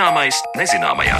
Zināmais nezināmajā.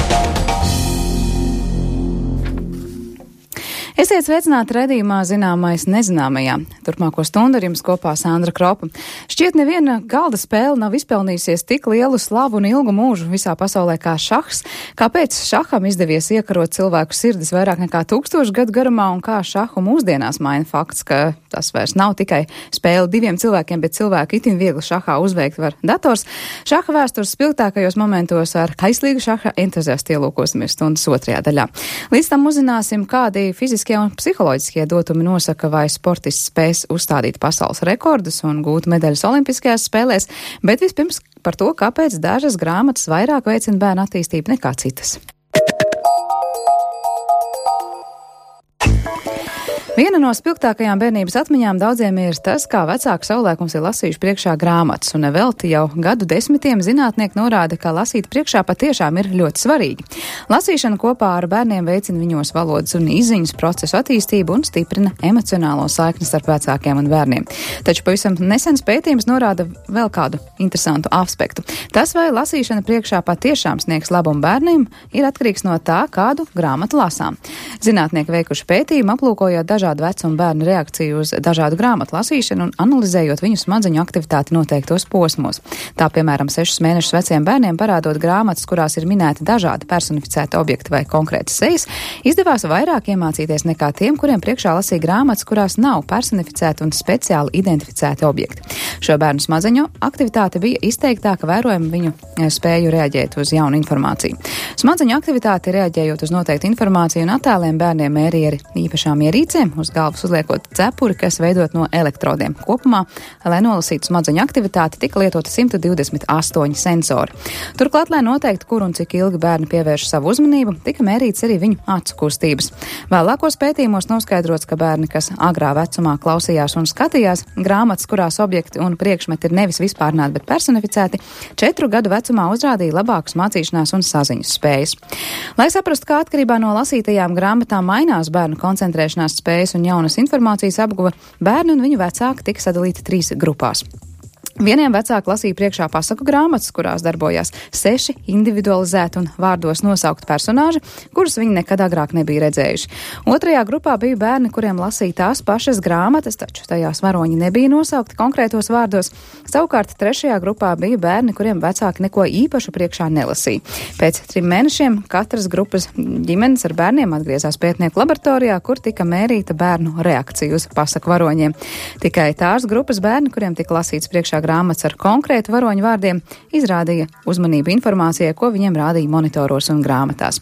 Esiet sveicināti raidījumā Zināmais nezināmajā. Turpmāko stundu ar jums kopā Sandra Kropa. Šķiet, neviena galda spēle nav izpelnījusies tik lielu slavu un ilgu mūžu visā pasaulē kā šahs. Kāpēc šaham izdevies iekarot cilvēku sirdis vairāk nekā 1000 gadu garumā un kā šahu mūsdienās maina fakts, ka tas vairs nav tikai spēle diviem cilvēkiem, bet cilvēku itin viegli šahā uzveikt var dators. Šaha vēstures spilgtākajos momentos ar kaislīgu šaha entuziastu ielūkosimies stundas otrajā daļā. Līdz tam uzzināsim, kādi fiziskie un psiholoģiskie dotumi nosaka, vai sportists spēs uzstādīt pasaules rekordus un gūt medaļas olimpiskajās spēlēs, bet vispirms par to, kāpēc dažas grāmatas vairāk veicina bērnu attīstību nekā citas. Viena no spilgtākajām bērnības atmiņām daudziem ir tas, kā vecāki savulaik mums ir lasījuši priekšā grāmatas, un nevelti jau gadu desmitiem zinātnieki norāda, ka lasīt priekšā patiešām ir ļoti svarīgi. Lasīšana kopā ar bērniem veicina viņos valodas un izziņas procesu attīstību un stiprina emocionālo saikni starp vecākiem un bērniem. Taču pavisam nesens pētījums norāda vēl kādu interesantu aspektu. Tas, vai lasīšana priekšā patiešām sniegs labumu bērniem, ir atkarīgs no tā, kādu grāmatu lasām. Zinātnieki veikuši pētījumu, aplūkojot dažādu vecumu bērnu reakciju uz dažādu grāmatu lasīšanu un analizējot viņu smadzeņu aktivitāti noteiktos posmos. Tā, piemēram, 6 mēnešus veciem bērniem parādot grāmatas, kurās ir minēti dažādi personificēti objekti vai konkrētas sejas, izdevās vairāk iemācīties nekā tiem, kuriem priekšā lasīja grāmatas, kurās nav personificēti un speciāli identificēti objekti. Šo bērnu smadzeņu aktivitāte bija izteiktāka, vērojama viņu spēju reaģēt uz jaunu informāciju. Smadzeņu aktivitāti reaģējot uz noteiktu informāciju un attēliem bērniem mērīja ar īpašām ierīcēm, uz galvas uzliekot cepuri, kas veidot no elektrodiem. Kopumā, lai nolasītu smadzeņu aktivitāti, tika lietoti 128 sensori. Turklāt, lai noteiktu, kur un cik ilgi bērni pievērš savu uzmanību, tika mērīts arī viņu acu kustības. Vēlākos pētījumos noskaidrots, ka bērni, kas agrā vecumā klausījās un skatījās grāmatas, kurās objekti un priekšmeti ir nevis vispārnāti, bet personificēti, 4 gadu vecumā uzrādīja labākus mācīšanās un saziņas spējas. Lai saprastu, kā atkarībā no lasītajām grāmatām mainās bērnu koncentrēšanās spējas un jaunas informācijas apguva, bērni un viņu vecāki tika sadalīti 3 grupās. Vieniem vecāki lasīja priekšā pasaku grāmatas, kurās darbojās 6 individualizēti un vārdos nosaukti personāži, kurus viņi nekad agrāk nebija redzējuši. Otrajā grupā bija bērni, kuriem lasīja tās pašas grāmatas, taču tajās varoņi nebija nosaukti konkrētos vārdos. Savukārt trešajā grupā bija bērni, kuriem vecāki neko īpašu priekšā nelasīja. Pēc 3 mēnešiem katras grupas ģimenes ar bērniem atgriezās pētnieku laboratorijā, kur tika mērīta bērnu reakcija uz pasaku varoņiem. Tikai tās grupas bērni, kuriem tika lasīts priekšā grāmatas ar konkrētu varoņu vārdiem, izrādīja uzmanību informācijai, ko viņiem rādīja monitoros un grāmatās.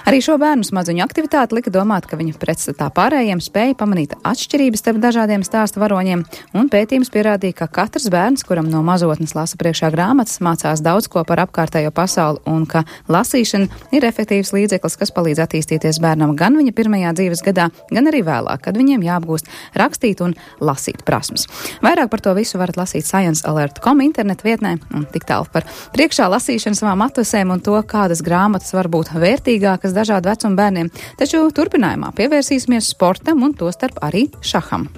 Arī šo bērnu smadzeņu aktivitāti lika domāt, ka viņi pretstatā pārējiem spēja pamanīt atšķirības starp dažādiem stāstu varoņiem, un pētījums pierādīja, ka katrs bērns, kuram no mazotnes lasa priekšā grāmatas, mācās daudz ko par apkārtējo pasauli, un ka lasīšana ir efektīvs līdzeklis, kas palīdz attīstīties bērnam gan viņa pirmajā dzīves gadā, gan arī vēlāk, kad viņiem jāapgūst rakstīt un lasīt prasmes. Vairāk par to visu varat lasīt ScienceAlert.com internetu vietnē, un tik tālu par priekšā lasīšanu savām atvesēm un to, kādas grāmatas var būt vērtīgākas dažādu vecumu bērniem, taču turpinājumā pievērsīsimies sportam un tostarp arī šaham.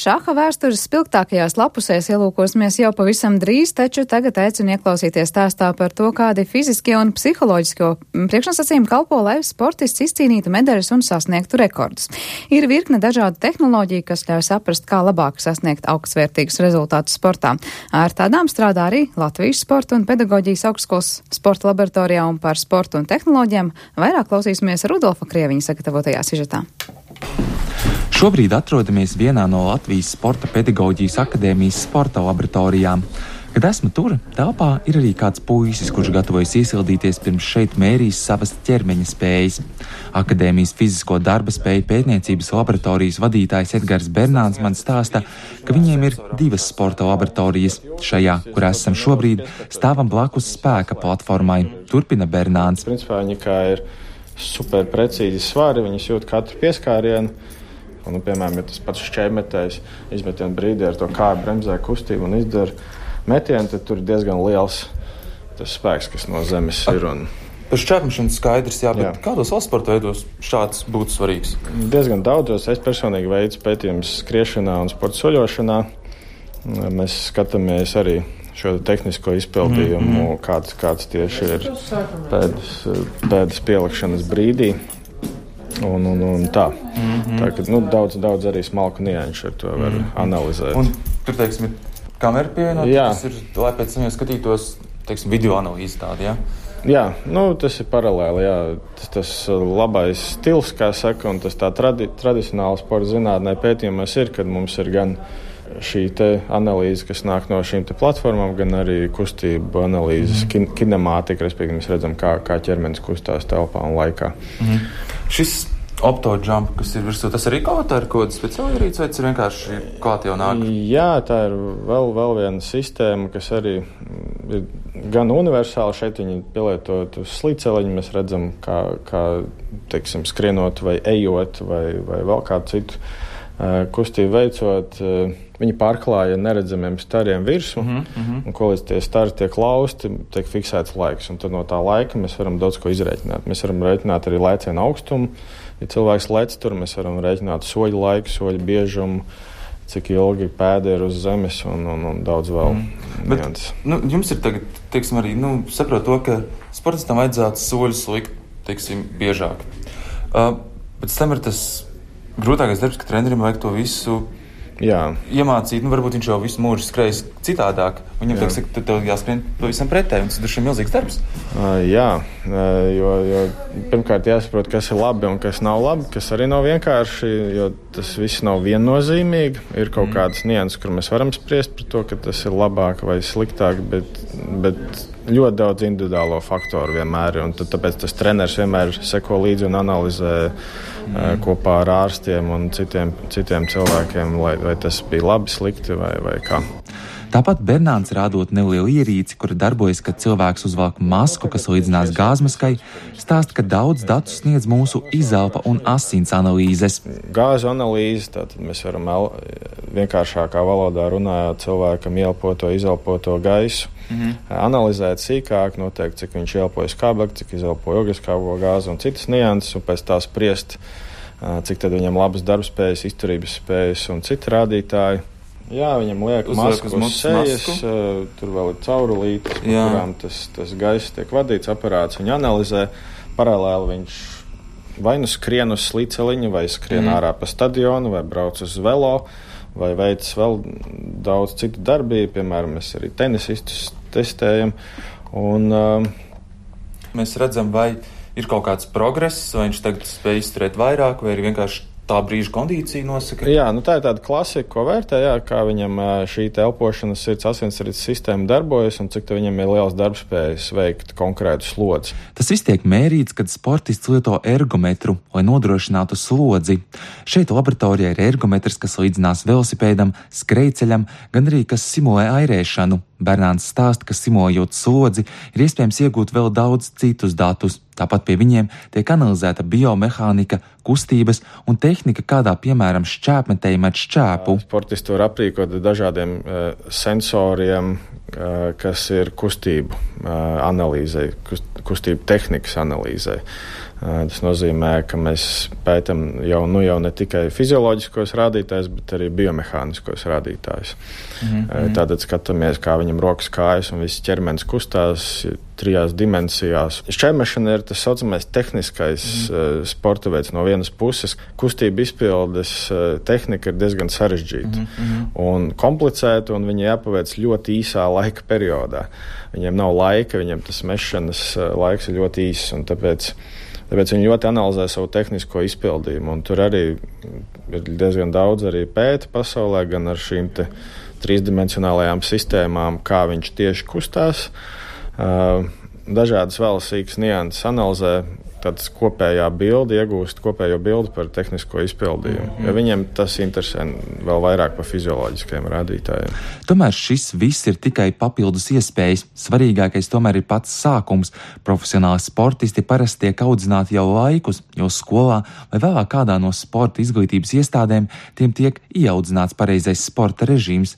Šaha vēstures spilgtākajās lapusēs ielūkosimies jau pavisam drīz, taču tagad aicinu ieklausīties stāstā par to, kādi fiziskie un psiholoģiskie priekšnosacījumi kalpo, lai sportists izcīnītu medaļas un sasniegtu rekordus. Ir virkne dažādu tehnoloģiju, kas ļauj saprast, kā labāk sasniegt augstsvērtīgus rezultātus sportā. Ar tādām strādā arī Latvijas Sporta un pedagoģijas augstskolas sporta laboratorijā, un par sportu un tehnoloģijām vairāk klausīsimies Rudolfa Krieviņa sagatavotajā sižetā. Šobrīd atrodamies vienā no Latvijas Sporta pedagoģijas akadēmijas sporta laboratorijām. Kad esmu tur, telpā ir arī kāds puisis, kurš gatavojas iesildīties pirms šeit mērīs savas ķermeņa spējas. Akadēmijas fizisko darba spēju pētniecības laboratorijas vadītājs Edgars Bernāns man stāsta, ka viņiem ir 2 sporta laboratorijas. Šajā, kur esam šobrīd, stāvam blakus spēka platformai, turpina Bernāns. Principā viņi kā ir super precīzi svari, viņas jūt katru pieskārienu. Un, piemēram, ja tas pats šķēmetējs izmetienu brīdī ar to kāju bremzē kustību un izdara metienu, tad tur ir diezgan liels tas spēks, kas no zemes ir. Par šķēpmešanu skaidrs, jā, bet kādos vēl sporta veidos šāds būtu svarīgs? Diezgan daudzos. Es personīgi veicu pētījumus skriešanā un sporta soļošanā. Mēs skatāmies arī šo tehnisko izpildījumu, kāds tieši ir pēdas pielikšanas brīdī. Un tā. Tā, ka daudz arī smalku nianšu ar to var analizēt. Un tur, teiksim, ir kamera pievienot, tas ir, lai pēc tam jau skatītos, teiksim, video analīzi tādi, jā? Jā, tas ir paralēli, jā. Tas labais stils, kā saka, un tas tā tradicionāli sporta zinātnē pētījumos ir, kad mums ir gan šī te analīze, kas nāk no šīm te platformām, gan arī kustību analīzes, kinemātika, respektīvi mēs redzam, kā ķermenis kustās telpā un laikā. Šis optojump, kas ir virsū, tas arī kaut kāda speciāla ierīce, vai tas ir vienkārši klāt jau nāk? Jā, tā ir vēl viena sistēma, kas arī ir gan universāli. Šeit viņi pielietot uz slīceliņu, mēs redzam, kā teiksim, skrienot vai ejot vai vēl kādu citu kustību veicot, viņi pārklāja neredzamiem stariem virsmu, un ko līdz tie stari tiek lausti, tiek fiksēts laiks, un tad no tā laika mēs varam daudz ko izrēķināt. Mēs varam rēķināt arī lēcienu augstumu, ja cilvēks lec tur, mēs varam rēķināt soļu laiku, soļu biežumu, cik ilgi pēda ir uz zemes un daudz vēl. Bet, jums ir tagad, teiksim, arī, saprot to, ka sportistam vajadzētu soļus likt, teiksim, biežāk. Pēc tam ir tas grūtākais darbs, ka trenerim vajag to visu iemācīt. Varbūt viņš jau visu mūžu skrējis citādāk. Viņam tev jāskrien pavisam pretēji, un tas ir milzīgs darbs. Jo pirmkārt jāsaprot, kas ir labi un kas nav labi, kas arī nav vienkārši, jo tas viss nav viennozīmīgi. Ir kaut kādas nianses, kur mēs varam spriest par to, ka tas ir labāk vai sliktāk, bet ļoti daudz individuālo faktoru vienmēr ir, un tāpēc tas treneris vienmēr seko līdzi un analizē kopā ar ārstiem un citiem cilvēkiem, vai tas bija labi, slikti vai kā. Tāpat Bernāns rādot nelielu ierīci, kura darbojas, kad cilvēks uzvelk masku, kas līdzinās gāzmaskai, stāsta, ka daudz datu sniedz mūsu izelpa un asins analīzes. Gāzu analīze, tātad mēs varam vienkāršākā valodā runājot cilvēkam ieelpoto, izelpoto gaisu, analizēt sīkāk, noteikt, cik viņš ieelpoja skābekli, cik izelpoja ogliskābo gāzi un citas nianses, un pēc tā spriest, cik tad viņam labas darbspējas, izturības spējas un citi rādītāji. Jā, viņam liek masku uz sejas, tur vēl ir caurulītes, pa kurām tas gaiss tiek vadīts, aparāts viņu analizē. Paralēli viņš vai nu skrien uz slīceliņu, vai skrien ārā pa stadionu, vai brauc uz velo, vai veic vēl daudz citu darbību. Piemēram, mēs arī tenisistus testējam. Un mēs redzam, vai ir kaut kāds progress, vai viņš tagad spēj izturēt vairāk, vai ir vienkārši tā brīža kondīcija nosaka? Jā, tā ir tāda klasika, ko vērtē, kā viņam šī elpošanas sirds asinsrites sistēma darbojas un cik viņam ir liels darbspējas veikt konkrētu slodzi. Tas viss tiek mērīts, kad sportists lieto ergometru, lai nodrošinātu slodzi. Šeit laboratorijā ir ergometrs, kas līdzinās velosipēdam, skrejceļam, gan arī kas simulē airēšanu. Bernāns stāsta, ka simulējot slodzi, ir iespējams iegūt vēl daudz citus datus. Tāpat pie viņiem tiek analizēta biomehānika, kustības un tehnika, kādā, piemēram, šķēpmetēji met šķēpu. Sportisti var aprīkot dažādiem sensoriem, kas ir kustību analīzē, kustību tehnikas analīzē. Tas nozīmē, ka mēs pētam jau ne tikai fizioloģiskos rādītājus, bet arī biomehāniskos rādītājus. Tātad skatāmies, kā viņam rokas, kājas un viss ķermenis kustās 3 dimensijās. Šķēmešana ir tas saucamais tehniskais sporta veids no vienas puses. Kustība izpildes tehnika ir diezgan sarežģīta un komplicēta, un viņa jāpaveic ļoti īsā laika periodā. Viņiem nav laika, viņiem tas mešanas laiks ir ļoti īss, un tāpēc viņi ļoti analizē savu tehnisko izpildījumu, un tur arī ir diezgan daudz arī pēta pasaulē, gan ar šīm te 3-dimensionālajām sistēmām, kā viņš tieši kustās. Dažādas vēl sīkas nianses analizē, tāds kopējā bilde, iegūst kopējo bildi par tehnisko izpildījumu. Ja viņiem tas interesē vēl vairāk par fizioloģiskajiem rādītājiem. Tomēr šis viss ir tikai papildus iespējas. Svarīgākais tomēr ir pats sākums. Profesionāli sportisti parasti tiek audzināti jau laikus, jo skolā vai vēl kādā no sporta izglītības iestādēm tiem tiek ieaudzināts pareizais sporta režīms.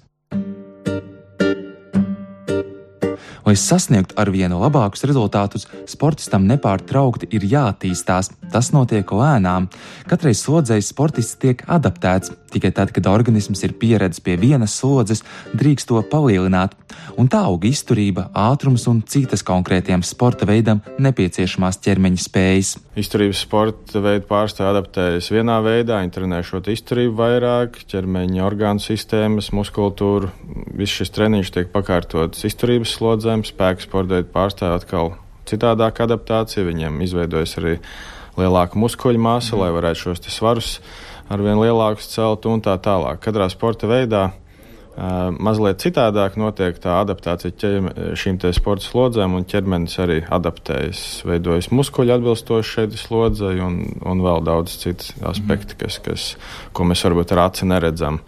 Lai sasniegtu arvien labākus rezultātus, sportistam nepārtraukti ir jāattīstās. Tas notiek lēnām. Katrai slodzei sportists tiek adaptēts. Tikai tad, kad organisms ir pieredzis pie vienas slodzes, drīkst to palielināt. Un tā aug izturība, ātrums un citas konkrētiem sporta veidam nepieciešamās ķermeņa spējas. Izturības sporta veidu pārstāvji adaptējas vienā veidā, viņi trenē šo izturību vairāk, ķermeņa orgānu sistēmas, muskultūru. Viss šis treniņš tiek pakārtots izturības slodzēm, spēku sporta veidu pārstāvji atkal citādāk adaptācija, viņiem izveidojas arī lielāka muskuļu masa, lai varētu šos svarus arvien lielākus celt un tā tālāk. Katrā sporta veidā mazliet citādāk notiek tā adaptācija šīm te sporta slodzēm, un ķermenis arī adaptējas, veidojas muskuļi atbilstoši šeit slodzei un vēl daudz citas aspekti, ko mēs varbūt ar aci neredzam,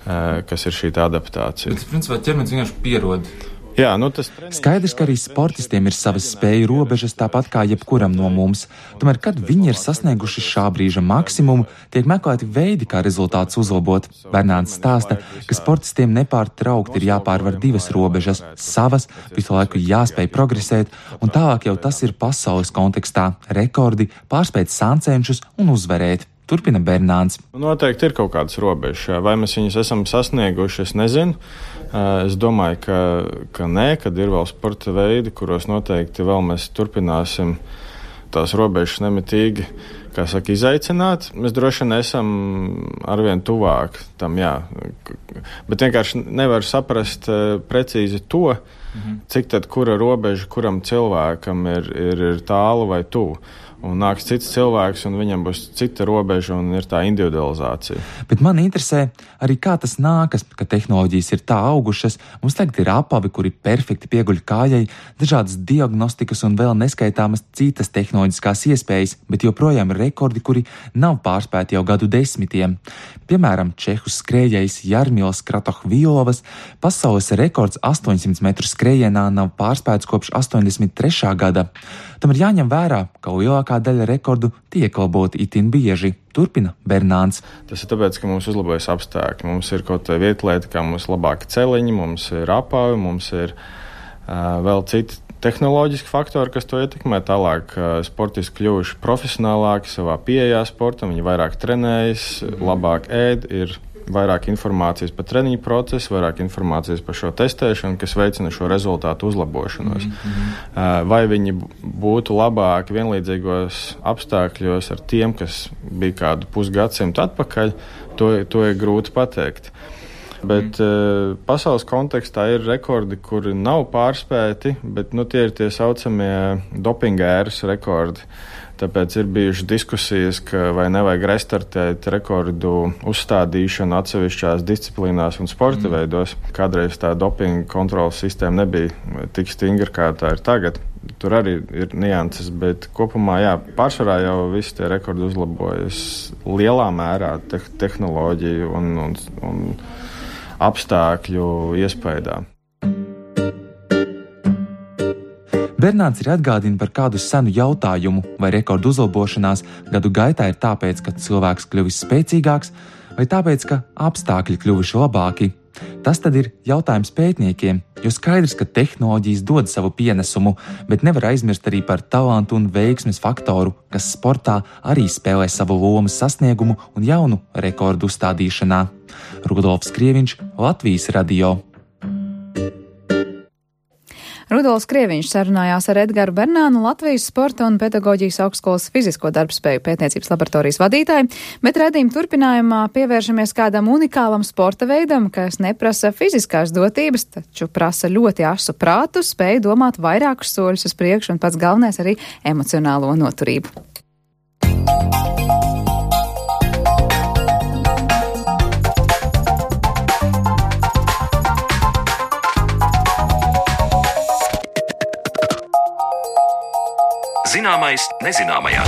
kas ir šī adaptācija. Bet, principā, ķermenis vienkārši pierod. Jā, Skaidrs, ka arī sportistiem ir savas spēju robežas, tāpat kā jebkuram no mums. Tomēr, kad viņi ir sasnieguši šā brīža maksimumu, tiek meklēti veidi, kā rezultātus uzlabot. Bernāns stāsta, ka sportistiem nepārtraukti ir jāpārvar divas robežas - savas, visu laiku jāspēj progresēt, un tālāk jau tas ir pasaules kontekstā - rekordi, pārspēt sāncenšus un uzvarēt. Turpina Bernāns. Noteikti ir kaut kādas robežas. Vai mēs viņus esam sasnieguši, es nezinu. Es domāju, ka nē, kad ir vēl sporta veidi, kuros noteikti vēl mēs turpināsim tās robežas nemitīgi, kā saka, izaicināt. Mēs droši vien esam arvien tuvāk tam, jā. Bet vienkārši nevar saprast precīzi to, cik tad kura robeža kuram cilvēkam ir tālu vai tuvu. Un nāks cits cilvēks, un viņam būs cita robeža, un ir tā individualizācija. Bet man interesē arī, kā tas nākas, ka tehnoloģijas ir tā augušas. Mums tagad ir apavi, kuri perfekti pieguļ kājai, dažādas diagnostikas un vēl neskaitāmas citas tehnoloģiskās iespējas, bet joprojām ir rekordi, kuri nav pārspēti jau gadu desmitiem. Piemēram, čehu skrējējs Jarmils Kratohvilovas pasaules rekords 800 metru skrējienā nav pārspēts kopš 83. gada. Tam ir jāņem vērā, ka lielākā daļa rekordu tiek laboti itin bieži. Turpina Bernāns. Tas ir tāpēc, ka mums uzlabojas apstākļi. Mums ir kaut kā vietlieta, kā mums ir labāki celiņi, mums ir apavi, mums ir vēl citi tehnoloģiski faktori, kas to ietekmē. Tālāk sportisti kļuvuši profesionālāki savā pieejā sportam, viņi vairāk trenējas, labāk ēd, ir vairāk informācijas par treniņu procesu, vairāk informācijas par šo testēšanu, kas veicina šo rezultātu uzlabošanos. Vai viņi būtu labāki vienlīdzīgos apstākļos ar tiem, kas bija kādu pusgadsimtu atpakaļ, to ir grūti pateikt. Bet pasaules kontekstā ir rekordi, kuri nav pārspēti, bet tie ir tie saucamie dopinga ēras rekordi. Tāpēc ir bijušas diskusijas, ka vai nevajag restartēt rekordu uzstādīšanu atsevišķās disciplīnās un sporta veidos. Kādreiz tā dopinga kontrolas sistēma nebija tik stingra, kā tā ir tagad. Tur arī ir nianses, bet kopumā, jā, pārsvarā jau visi tie rekordi uzlabojas lielā mērā tehnoloģiju un apstākļu iespējā. Bernāns ir atgādina par kādu senu jautājumu, vai rekordu uzlabošanās gadu gaitā ir tāpēc, ka cilvēks kļuvis spēcīgāks, vai tāpēc, ka apstākļi kļuvuši labāki. Tas tad ir jautājums pētniekiem, jo skaidrs, ka tehnoloģijas dod savu pienesumu, bet nevar aizmirst arī par talantu un veiksmes faktoru, kas sportā arī spēlē savu lomu sasniegumu un jaunu rekordu uzstādīšanā. Rudolfs Krieviņš, Latvijas radio. Rudolfs Krieviņš sarunājās ar Edgaru Bernānu, Latvijas Sporta un pedagoģijas augstskolas fizisko darbspēju pētniecības laboratorijas vadītāju, bet raidījuma turpinājumā pievēršamies kādam unikālam sporta veidam, kas neprasa fiziskās dotības, taču prasa ļoti asu prātu, spēju domāt vairākus soļus uz priekšu un pats galvenais arī emocionālo noturību. Zināmais nezināmajā.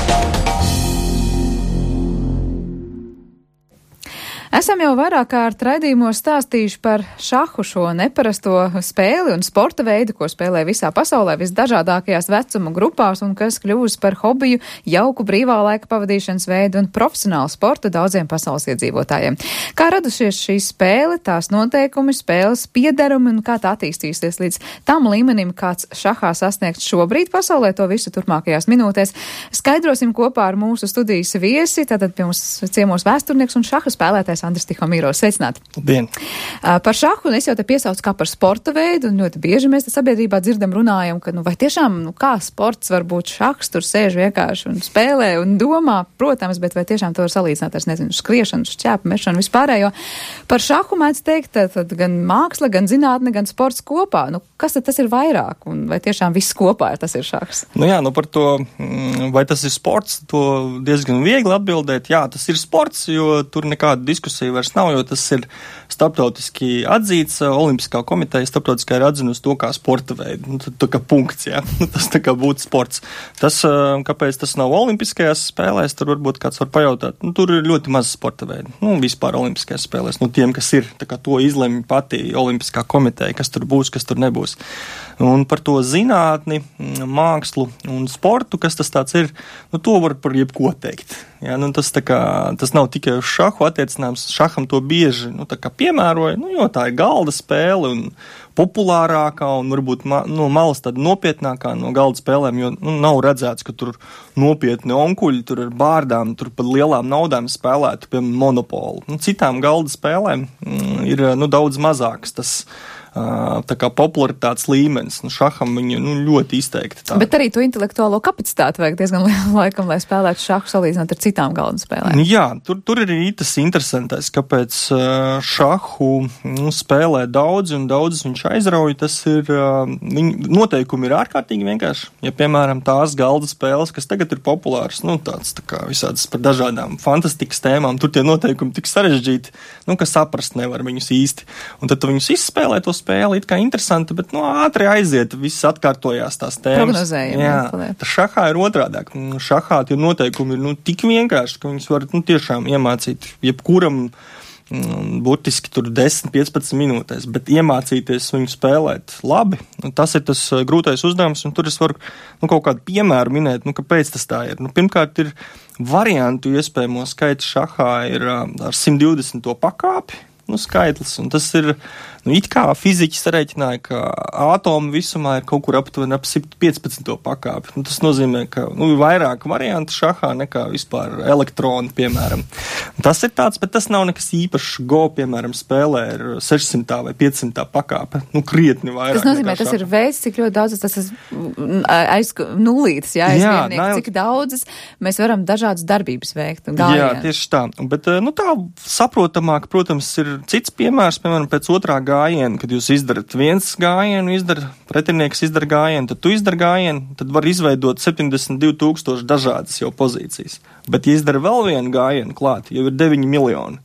Esam jau vairāk kārt raidījumos stāstījuši par šahu, šo neparasto spēli un sporta veidu, ko spēlē visā pasaulē visdažādākajās vecuma grupās un kas kļūst par hobiju, jauku brīvā laika pavadīšanas veidu un profesionālu sportu daudziem pasaules iedzīvotājiem. Kā radušies šī spēle, tās noteikumi, spēles piederumi un kā tā attīstīsies līdz tam līmenim, kāds šahā sasniegts šobrīd pasaulē, to visu turpmākajās minūtēs skaidrosim kopā ar mūsu studijas viesi, tātad pie mums ciemos vēsturnieks un šaha spēlētājs Andris Tihomīrovs. Sveicināti! Labdien! Par šahu, un es jau te piesaucu kā par sporta veidu, un ļoti bieži mēs te sabiedrībā dzirdam runājam, ka, vai tiešām, kā sports var būt šahs, tur sēž vienkārši un spēlē un domā, protams, bet vai tiešām to var salīdzināt ar, skriešanu, šķēpu, mešanu, vispārējo. Par šahu mēdz teikt, tad gan māksla, gan zinātne, gan sports kopā. Kas tad tas ir vairāk, un vai tiešām viss kopā tas ir šahs? Par to, vai tas ir sports, to diezgan viegli atbildēt. Jā, tas ir sports, jo tur nekāda diskusija vairs nav, jo tas ir starptautiski atzīts. Olimpiskā komiteja starptautiskā ir atzinusi to kā sporta veidu. Tā kā punkts, jā. Tas tā kā būtu sports. Tas, kāpēc tas nav olimpiskajās spēlēs, tur varbūt kāds var pajautāt. Tur ir ļoti maz sporta veidu. Vispār olimpiskajās spēlēs. Tiem, kas ir, tā kā to izlemj pati Olimpiskā komiteja, kas tur būs, kas tur nebūs. Un par to zinātni, mākslu un sportu, kas tas tāds ir, to var par jebko teikt. Jā, tas nav tikai uz šahu attiecināms. Šaham to bieži piemēroja, jo tā ir galda spēle un populārākā un varbūt no malas tāda nopietnākā no galda spēlēm, jo nav redzēts, ka tur nopietni onkuļi, tur ar bārdām, tur par lielām naudām spēlētu, piemēram, monopolu. Citām galda spēlēm ir daudz mazāks tas tā kā popularitātes līmenis. Šaham viņa ļoti izteikti tā. Bet arī to intelektuālo kapacitāti vajag diezgan lielu laikam, lai spēlētu šahu salīdzinot ar citām galda spēlēm. Jā, tur ir tas interesantais, kāpēc šahu spēlē daudzi un daudz viņš aizrauj. Tas ir, noteikumi ir ārkārtīgi vienkārši. Ja, piemēram, tās galda spēles, kas tagad ir populāras, tāds tā kā visādas par dažādām fantastikas tēmām, tur tie noteikumi tik sarežģīti, ka saprast nevar viņus īsti. Un tad tu viņus izspēlē to spēle, it kā interesanti, bet ātri aiziet, viss atkārtojās tās tēmas. Prognozējumi. Jā, tas šahā ir otrādāk. Šahā tie noteikumi ir tik vienkārši, ka viņus var tiešām iemācīt jebkuram burtiski tur 10-15 minūtēs, bet iemācīties viņu spēlēt labi, tas ir tas grūtais uzdevums, un tur es varu kaut kādu piemēru minēt, kāpēc tas tā ir. Pirmkārt ir variantu iespējamo skaits šahā ir ar 120. pakāpi, skaitlis, un tas ir, it kā fiziķi sarēķināja, ka ātomu visumā ir kaut kur aptuveni ap 115. pakāpi. Tas nozīmē, ka ir vairāk variantu šahā nekā vispār elektroni, piemēram. Tas ir tāds, bet tas nav nekas īpašs. Go, piemēram, spēlē ir 600. vai 500. pakāpe. Krietni vairāk. Tas nozīmē, tas ir veids, cik ļoti daudz tas aiz nulītes, cik daudzas mēs varam dažādas darbības veikt. Jā, tieši tā. Bet, tā saprotamāk, protams, ir cits piemērs, piemēram, pēc otrā gājiena, kad jūs izdarat viens gājienu, pretinieks izdara gājienu, tad tu izdara gājienu, tad var izveidot 72,000 dažādas jau pozīcijas. Bet, ja izdara vēl vienu gājienu klāt, jau ir 9 miljoni.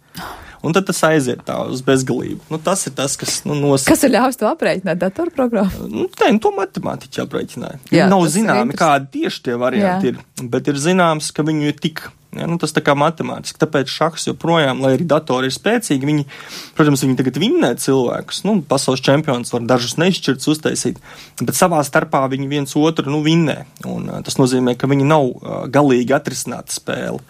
Un tad tas aiziet tā uz bezgalību. Tas ir tas, kas nosaka. Kas ir ļaus to aprēķināt datorprogrammu? To matemātiķi aprēķināja. Nav zināmi, kādi tieši tie varianti ir, bet ir zināms, ka viņu ir tik. Tas tā kā matemātiski. Tāpēc šahs joprojām, lai arī datori ir spēcīgi, viņi tagad vinnē cilvēkus. Pasaules čempions var dažus neizšķirts uztaisīt, bet savā starpā viņi viens otru vinnē. Un tas nozīmē, ka viņi nav galīgi atrisināta spēle.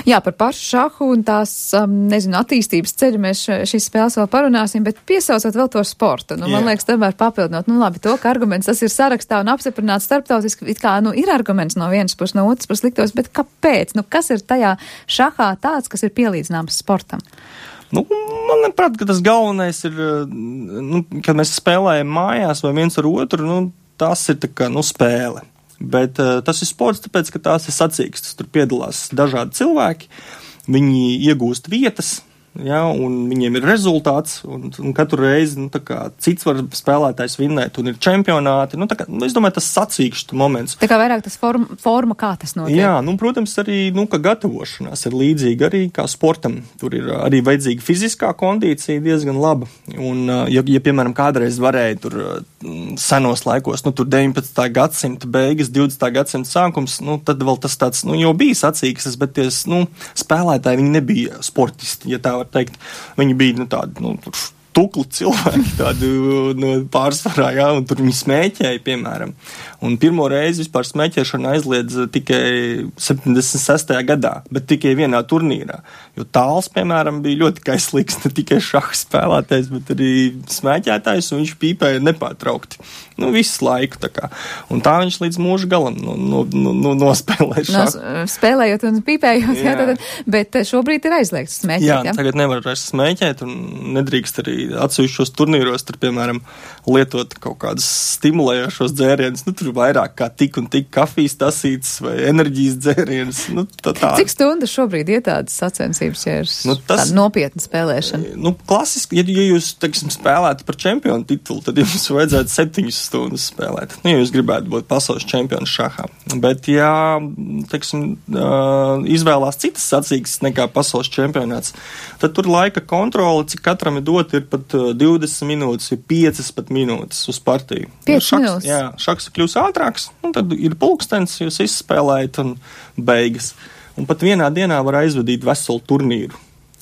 Jā, par pašu šahu un tās, attīstības ceļu mēs šīs spēles vēl parunāsim, bet piesaucot vēl to sportu. Man liekas, tomēr papildinot, labi, to, ka arguments tas ir sarakstā un apstiprināts starptautiski, it kā, ir arguments no vienas puses, no otras puses liktos, bet kāpēc? Kas ir tajā šahā tāds, kas ir pielīdzināms sportam? Man liekas, ka tas galvenais ir, kad mēs spēlējam mājās vai viens ar otru, tas ir tā kā, spēle. Bet tas ir sports, tāpēc, ka tās ir sacīkstas. Tur piedalās dažādi cilvēki, viņi iegūst vietas, un viņiem ir rezultāts, un katru reizi, cits var spēlētājs vinnēt, un ir čempionāti, es domāju, tas sacīkšķu moments. Tā kā vairāk tas forma, kā tas notiek. Jā, protams, arī, ka gatavošanās ir līdzīga arī kā sportam. Tur ir arī vajadzīga fiziskā kondīcija diezgan laba, un, ja piemēram, kādreiz varēja tur senos laikos, tur 19. gadsimta beigas, 20. gadsimta sākums, tad vēl tas tāds, jau bija sacīkstas, bet tie, spēlētāji, viņi nebija sportisti, ja tā var var teikt. Viņi bija, tādi, tukli cilvēki, tādu pārsvarā, jā, un tur viņi smēķēja, piemēram. Un pirmo reizi vispār smēķēšana aizliedz tikai 76. gadā, bet tikai vienā turnīrā. Jo Tāls, piemēram, bija ļoti kaislīgs, ne tikai šaha spēlētājs, bet arī smēķētājs, un viņš pīpēja nepārtraukti. Visu laiku tā kā. Un tā viņš līdz mūža galam nospēlēja šahu. Spēlējot un pīpējot, jā, bet šobrīd ir aizliegts smēķēt, jā? Tagad nevar vairs smēķēt un nedrīkst arī atsevišķos turnīros, tur, piemēram, lietot kaut kādus stimulējošos dzērienus, tur vairāk kā tik un tik kafijas tasītas vai enerģijas dzērienus, tā. Cik stundas šobrīd ir tādas sacensības, ja ir tāda nopietna spēlēšana? Klasiski, ja jūs, teiksim, spēlētu par čempionu titulu, tad jums vajadzētu 7 stundas spēlēt. Ja jūs gribētu būt pasaules čempions šahā. Bet, ja, teiksim, izvēlās citas sacīkstes nekā pasaules čempionāts, tad tur laika kontrole, cik katram ir dot, ir pat 20 minūtes, ir 5 pat minūtes uz partiju. 5 minūtes? Jā, šaks kļūs ātrāks, un tad ir pulkstens, jūs izspēlējat un beigas. Un pat vienā dienā var aizvadīt veselu turnīru.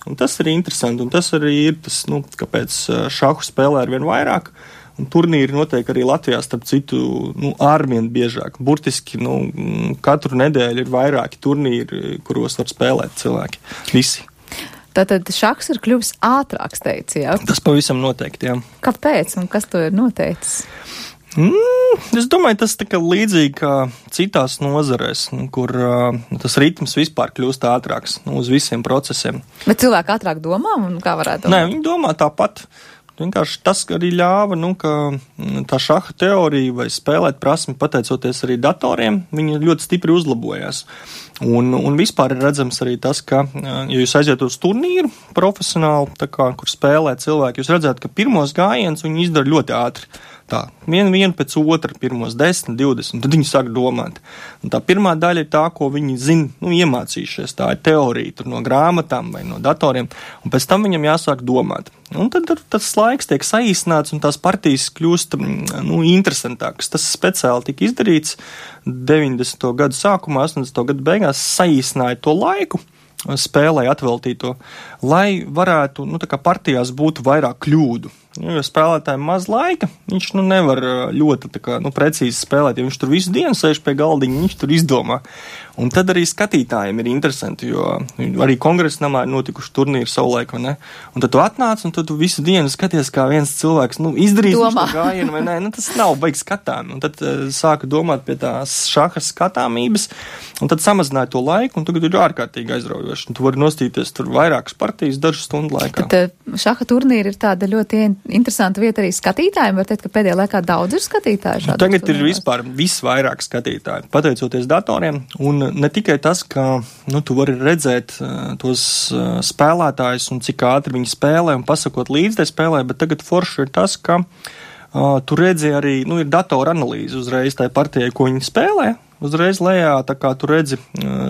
Un tas ir interesanti, un tas arī ir tas, kāpēc šahu spēlē ar vien vairāk. Un turnīri notiek arī Latvijā, starp citu, ārvien biežāk. Burtiski, katru nedēļu ir vairāki turnīri, kuros var spēlēt cilvēki. Visi. Tātad šahs ir kļuvis ātrāks, teici, jā? Tas pavisam noteikti, jā. Kāpēc un kas to ir noteicis? Es domāju, tas tā kā līdzīgi kā citās nozarēs, kur tas ritms vispār kļūst ātrāks uz visiem procesiem. Bet cilvēki ātrāk domā un kā varētu domāt? Nē, viņi domā tāpat. Vienkārši tas arī ļāva, ka tā šaha teorija vai spēlēt prasmi, pateicoties arī datoriem, viņi ļoti stipri uzlabojās. Un vispār ir redzams arī tas, ka, ja jūs aiziet uz turnīru profesionāli, kur spēlē cilvēki, jūs redzat, ka pirmos gājienus viņi izdara ļoti ātri. Tā, vienu pēc otra, pirmos 10, 20, tad viņi sāk domāt. Un tā pirmā daļa ir tā, ko viņi zina, iemācījušies, tā ir teorija, tur no grāmatām vai no datoriem, un pēc tam viņam jāsāk domāt. Un tad tas laiks tiek saīsināts, un tās partijas kļūst, interesantākas. Tas speciāli tika izdarīts 90. gadu sākumā, 80. gadu beigās, saīsināja to laiku, spēlē atveltīto, lai varētu, partijās būtu vairāk kļūdu. Jo spēlētājiem maz laika, viņš nevar ļoti precīzi spēlēt, ja viņš tur visu dienu sēž pie galdiņa, viņš tur izdomā. Un tad arī skatītājiem ir interesanti, jo arī kongresa namā ir notikuši turnīri savulaik, vai ne? Un tad tu atnāc, un tad tu visu dienu skaties, kā viens cilvēks, izdarīs šo gājienu, vai ne? Tas nav baigi skatām. Un tad sāka domāt pie tās šahas skatāmības, un tad samazināja to laiku, un tagad ir ārkārtīgi aizraujoši. Un tu vari nostīties tur vairākas partijas dažu stundu laikā. Tad šaha turnīri ir tāda ļoti interesanta vieta arī skatītājiem. Var teikt, ka pēdējā laikā daudz ir skatītāji. Tagad ir vispār visvairāk skatītāji, pateicoties datoriem. Un ne tikai tas, ka tu vari redzēt tos spēlētājus un cik ātri viņi spēlē un pasakot līdz tai spēlē, bet tagad forši ir tas, ka tu redzi arī, ir datora analīze uzreiz tai partijai, ko viņi spēlē. Uzreiz lejā, tā kā tu redzi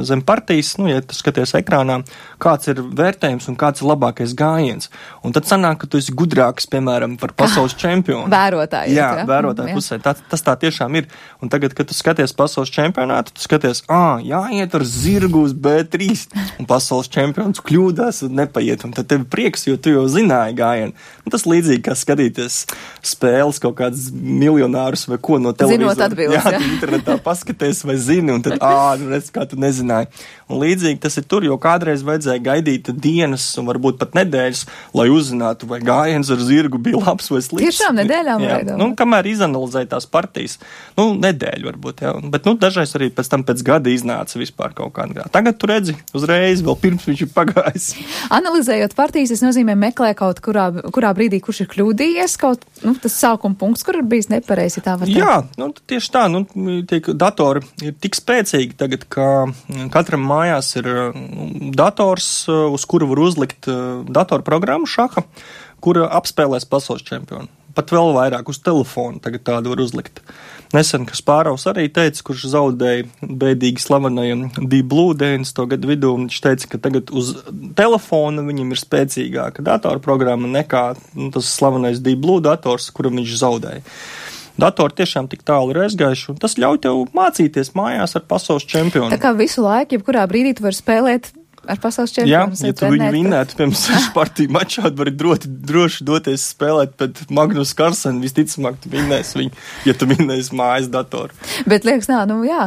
zem partijas, ja tu skaties ekrānā, kāds ir vērtējums un kāds ir labākais gājiens. Un tad sanāk, ka tu esi gudrāks, piemēram, par pasaules čempionu. Vērotāji. Jā, vērotāji pusē. Tas tā tiešām ir. Un tagad, kad tu skaties pasaules čempionātu, tu skaties, jāiet ar zirgu uz B3, un pasaules čempions kļūdās un nepaiet. Un tad tev prieks, jo tu jau zināji gājienu. Un tas līdzīgi, kā skatīties spēles kaut kādus miljonārus vai ko no televīzora. Zinot atbildes, jā. Tu internetā paskaties vai zini, un tad, redz, kā tu nezināji. Un līdzīgi tas ir tur, jo kādreiz vajadzēja gaidīt dienas un varbūt pat nedēļas, lai uzzinātu, vai gājiens ar zirgu bija labs vai slikts. Tiešām nedēļām vajadzēja. Kamēr izanalizēja tās partijas, nedēļu varbūt, jā. Bet, dažreiz arī pēc gada iznāca vispār kaut kādā. Tagad tu redzi uzreiz, vēl pirms viņš ir pagājis. Analizējot partijas, tas nozīmē meklē kaut kurā brīdī, kurš ir kļūdījies, tas sākuma punkts, kur ir bijis nepareizi, tā var teikt. Jā, tieši tā, tiek datori ir tik spēcīgi tagad, ka katram mājās ir dators, uz kuru var uzlikt datorprogrammu šaha, kura apspēlēs pasaules čempionu. Pat vēl vairāk uz telefonu tagad tādu var uzlikt. Nesen, kas Pāraus arī teica, kurš zaudēja bēdīgi slavenajam Deep Blue 90. gadu vidū, un viņš teica, ka tagad uz telefona viņam ir spēcīgāka datorprogramma nekā tas slavenais Deep Blue dators, kuram viņš zaudēja. Datori tiešām tik tālu ir aizgājuši, un tas ļauj tev mācīties mājās ar pasaules čempionu. Tā kā visu laiku, jebkurā brīdī tu vari spēlēt ar pasaules čempionu. Jā, ja tu viņu vinnētu, piemēram, partiju mačā, vari droši doties spēlēt pēc Magnus Carlsen, visticamāk, tu vinnēsi viņu, ja tu vinnēsi mājas datoru. Bet liekas,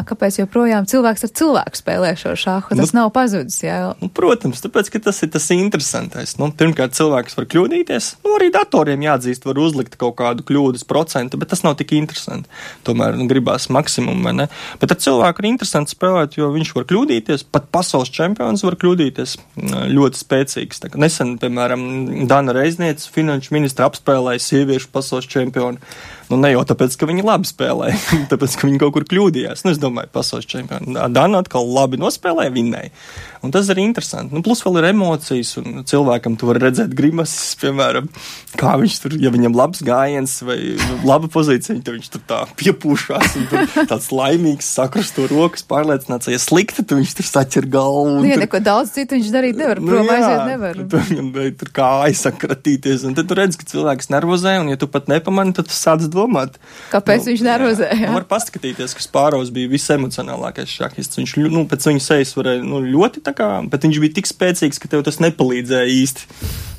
kāpēc joprojām cilvēks ar cilvēku spēlē šo šāhu? Tas nav pazudis, jā. Protams, tāpēc, ka tas ir tas interesantais. Pirmkārt, cilvēks var kļūdīties, arī datoriem jāatzīst, var uzlikt kaut kādu kļūdas procentu, bet tas nav tik interesanti. Tomēr gribās maksimumu, vai ne? Bet ar cilvēku ir interesanti spēlēt, jo viņš var kļūdīties, pat pasaules čempions var kļūdīties ļoti spēcīgs. Tā, nesen, piemēram, Dana Reizniece, finanšu ministra, apspēlēja sieviešu pasaules čempionu. Ne jau tāpēc, ka viņi labi spēlēja, tāpēc, ka viņi kaut kur kļūdījās. Es domāju, pasaules čempionu. Dana atkal labi nospēlēja, vinnēja. Un tas ir interesanti. Plus vēl ir emocijas, un cilvēkam tu vari redzēt grimases, piemēram, kā viņš tur, ja viņam labs gājiens vai laba pozīcija, tad viņš tur tā piepūšās un tur tāds laimīgs, sakrusto rokas, pārliecināts, ja slikti, tad viņš tur saķer galvu. Jā, neko daudz citu viņš darīt nevar, prom aiziet nevar. Viņam tur kā aizsakratīties, un tad tu redz, ka cilvēks nervozē, un ja tu pat nepamani, tad tu sāc domāt. Kāpēc viņš nervozē? Var paskatīties, ka Spārovs bija visemocionālākais šahists. Viņš, pēc viņa sejas varēja, ļoti tā kā, bet viņš bija tik spēcīgs, ka tev tas nepalīdzēja īsti.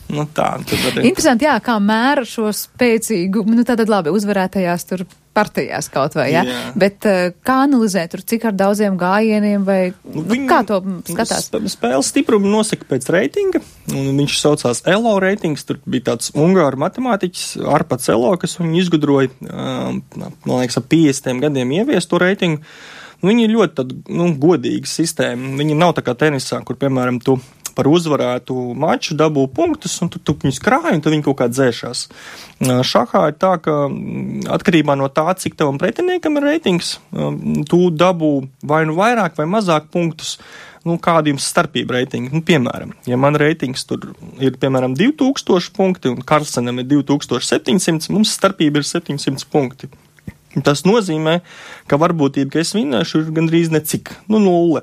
Interesanti, jā, kā mēra šo spēcīgu, tātad labi, uzvarētajās tur partijās kaut vai, jā? Bet kā analizēt tur, cik ar daudziem gājieniem vai kā to skatās? Spēles stiprumu nosaka pēc reitinga, un viņš saucās ELO reitings, tur bija tāds ungāru matemātiķis, Arpats ELO, kas viņu izgudroja, man liekas, ap 50 gadiem ievies to reitingu. Viņi ir ļoti godīga sistēma. Viņi nav tā kā tenisā, kur, piemēram, tu par uzvarētu maču dabū punktus, un tu viņus krāji, un tad viņi kaut kā dzēšās. Šahā ir tā, ka atkarībā no tā, cik tavam pretiniekam ir reitings, tu dabū vai nu vairāk vai mazāk punktus, kāda jums starpība reitinga. Piemēram, ja man reitings tur ir, piemēram, 2000 punkti, un Karlsenam ir 2700, mums starpība ir 700 punkti. Tas nozīmē, ka varbūtība, ka es vinnēšu, ir gandrīz necik, 0.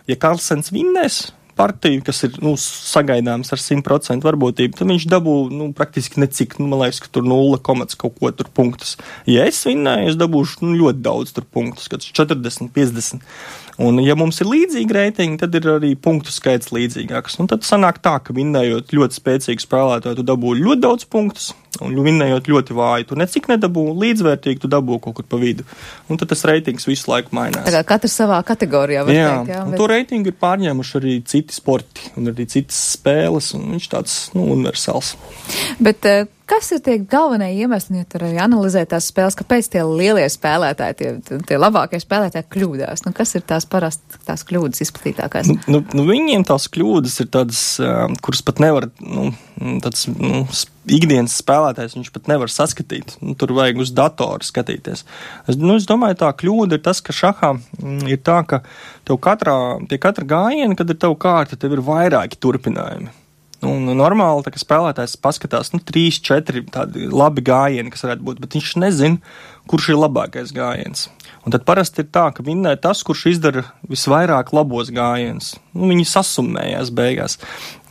Ja Karlsens vinnēs partiju, kas ir, sagaidāms ar 100% varbūtību, tad viņš dabū, praktiski necik, man liekas, ka tur 0, kaut ko tur punktus. Ja es vinnēju, es dabūšu, ļoti daudz tur punktus, kad 40, 50. Un, ja mums ir līdzīgi reitingi, tad ir arī punktu skaits līdzīgāks. Un tad sanāk tā, ka vinnējot ļoti spēcīgu spēlētāju, tu dabū ļoti daudz punktus, un vinnējot ļoti vāju, tu necik nedabū, līdzvērtīgi tu dabū kaut kur pa vidu. Un tad tas reitings visu laiku mainās. Tā kā katrs savā kategorijā var teikt, jā. Un to reitingu ir pārņēmuši arī citi sporti, un arī citas spēles, un viņš tāds, universāls. Bet kas ir tie galvenie iemesli, ja tur arī analizē tās spēles, kāpēc tie lielie spēlētāji, tie labākie spēlētāji kļūdās? Kas ir tās parasti tās kļūdas izplatītākās? Viņiem tās kļūdas ir tādas, kuras pat nevar, tāds, ikdienas spēlētājs viņš pat nevar saskatīt. Tur vajag uz datoru skatīties. Es domāju, tā kļūda ir tas, ka šahā ir tā, ka tev pie katra gājiena, kad ir tev kārta, tev ir vairāki turpinājumi. Normāli, tā kā spēlētājs paskatās, 3, 4 tādi labi gājieni, kas varētu būt, bet viņš nezina, kurš ir labākais gājiens. Un tad parasti ir tā, ka vinnē tas, kurš izdara visvairāk labos gājienus. Viņi sasummējās beigās.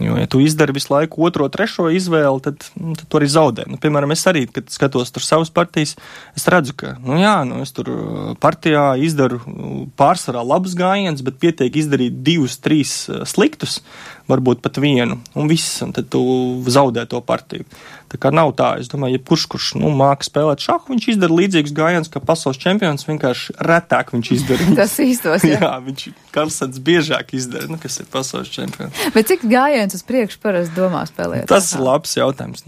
Jo, ja tu izdari visu laiku 2, 3 izvēli, tad tu arī zaudē. Piemēram, es arī, kad skatos tur savas partijas, es redzu, ka, es tur partijā izdaru pārsvarā labus gājienus, bet pietiek izdarīt 2, 3 sliktus, varbūt pat vienu, un viss, un tad tu zaudē to partiju. Tā kā nav tā, es domāju, kurš māka spēlēt šahu, viņš izdara līdzīgus gājienus, kā pasaules čempions, vienkārši retāk viņš izdara. Tas īstos, jā. Jā, viņš Karlsens biežāk izdara, kas ir pasaules čempions. Bet cik gājienus uz priekšu parasti domā spēlēt? Tas ir labs jautājums.